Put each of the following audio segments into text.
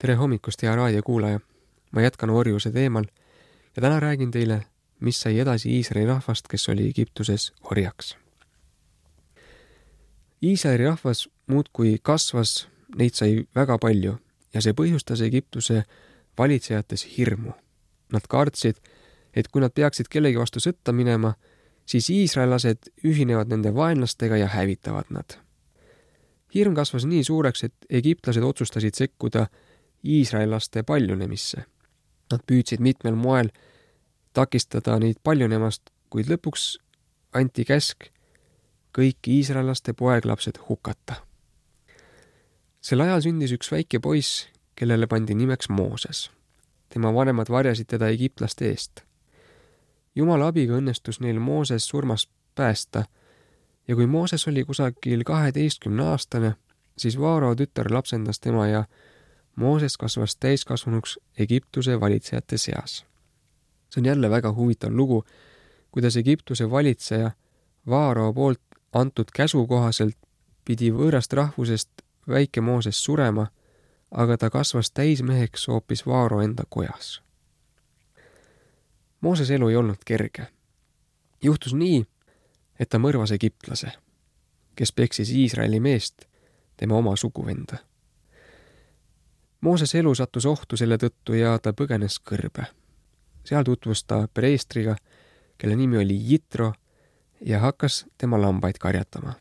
Tere hommikust, hea raadiokuulaja! Ma jätkan orjuse teemal ja täna räägin teile, mis sai edasi Iisraeli rahvast, kes oli Egiptuses orjaks. Iisraeli rahvas muudkui kasvas, neid sai väga palju ja see põhjustas Egiptuse valitsejates hirmu. Nad kartsid, et kui nad peaksid kellegi vastu sõtta minema, siis iisraellased ühinevad nende vaenlastega ja hävitavad nad. Hirm kasvas nii suureks, et egiptlased otsustasid sekkuda iisraellaste paljunemisse. Nad püüdsid mitmel moel takistada neid paljunemast, kuid lõpuks anti käsk kõik iisraellaste poeglapsed hukata. Sel ajal sündis üks väike poiss, kellele pandi nimeks Mooses. Tema vanemad varjasid teda egiptlaste eest. Jumala abiga õnnestus neil Mooses surmast päästa ja kui Mooses oli kusagil 12-aastane, siis Vaaro tütar lapsendas tema ja Mooses kasvas täiskasvanuks Egiptuse valitsejate seas. See on jälle väga huvitav lugu, kuidas Egiptuse valitseja Vaaro poolt antud käsu kohaselt pidi võõrast rahvusest väike Mooses surema, aga ta kasvas täismeheks hoopis Vaaro enda kojas. Mooses elu ei olnud kerge. Juhtus nii, et ta mõrvas egiptlase, kes peksis Iisraeli meest, tema oma suguvenda. Mooses elu sattus ohtu selle tõttu ja ta põgenes kõrbe. Seal tutvus ta preestriga, kelle nimi oli Jitro ja hakkas tema lambaid karjatama.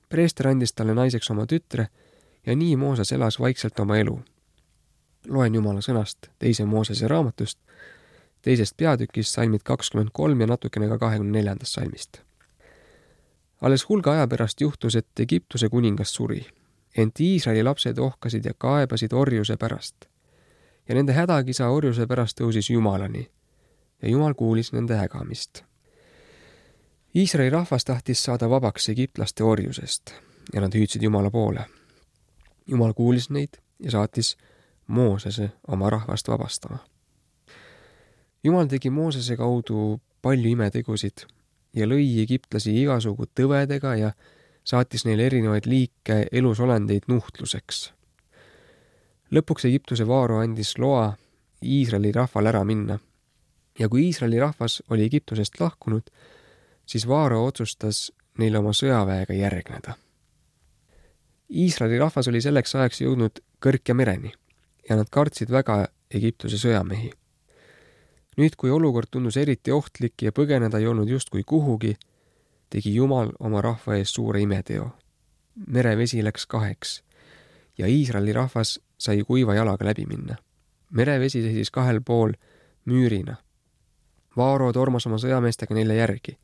Preester andis talle naiseks oma tütre ja nii Mooses elas vaikselt oma elu. Loen Jumala sõnast 2. Moosese raamatust, 2. peatükis salmid 23 ja natukene ka 24. salmist. Alles hulga aja pärast juhtus, et Egiptuse kuningas suri, ent Iisraeli lapsed ohkasid ja kaebasid orjuse pärast. Ja nende hädakisa orjuse pärast tõusis Jumalani ja Jumal kuulis nende hägamist. Iisraeli rahvas tahtis saada vabaks egiptlaste orjusest ja nad hüüdsid Jumala poole. Jumal kuulis neid ja saatis Moosese oma rahvast vabastama. Jumal tegi Moosese kaudu palju imetegusid ja lõi egiptlasi igasugu tõvedega ja saatis neile erinevaid liike elusolendeid nuhtluseks. Lõpuks Egiptuse Vaaro andis loa Iisraeli rahval ära minna ja kui Iisraeli rahvas oli Egiptusest lahkunud, siis Vaaro otsustas neile oma sõjaväega järgneda. Iisraeli rahvas oli selleks ajaks jõudnud Kõrkja mereni ja nad kartsid väga Egiptuse sõjamehi. Nüüd, kui olukord tundus eriti ohtlik ja põgeneda ei olnud justkui kuhugi, tegi Jumal oma rahva ees suure imeteo. Merevesi läks 2 ja Iisraeli rahvas sai kuiva jalaga läbi minna. Merevesi seisis 2 pool müürina. Vaaro tormas oma sõjameestega neile järgi.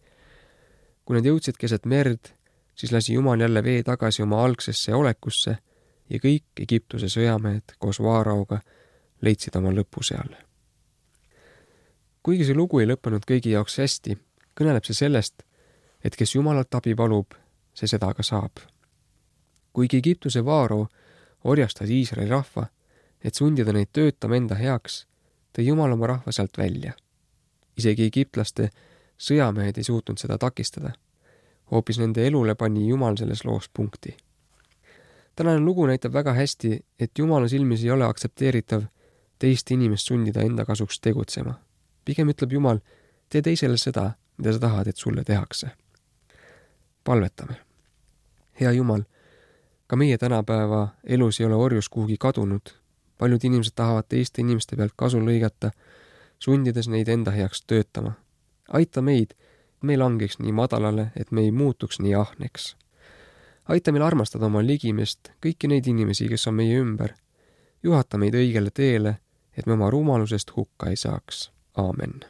Kui nad jõudsid keset merd, siis lasi Jumal jälle vee tagasi oma algsesse olekusse ja kõik Egiptuse sõjamehed koos Vaaraoga leidsid oma lõpu seal. Kuigi see lugu ei lõppenud kõigi jaoks hästi, kõneleb see sellest, et kes Jumalalt abi palub, see seda ka saab. Kuigi Egiptuse Vaaro orjastas Iisraeli rahva, et sundida neid töötama enda heaks, tõi Jumal oma rahva sealt välja. Isegi egiptlaste sõjamehed ei suutnud seda takistada. Hoopis nende elule pani Jumal selles loos punkti. Tänane lugu näitab väga hästi, et Jumala silmis ei ole aktsepteeritav teist inimest sundida enda kasuks tegutsema. Pigem ütleb Jumal, tee teisele seda, mida sa tahad, et sulle tehakse. Palvetame. Hea Jumal, ka meie tänapäeva elus ei ole orjus kuhugi kadunud. Paljud inimesed tahavad teiste inimeste pealt kasu lõigata, sundides neid enda heaks töötama. Aita meid, et me ei langeks nii madalale, et me ei muutuks nii ahneks. Aita meil armastada oma ligimest kõiki neid inimesi, kes on meie ümber. Juhata meid õigele teele, et me oma rumalusest hukka ei saaks. Aamen.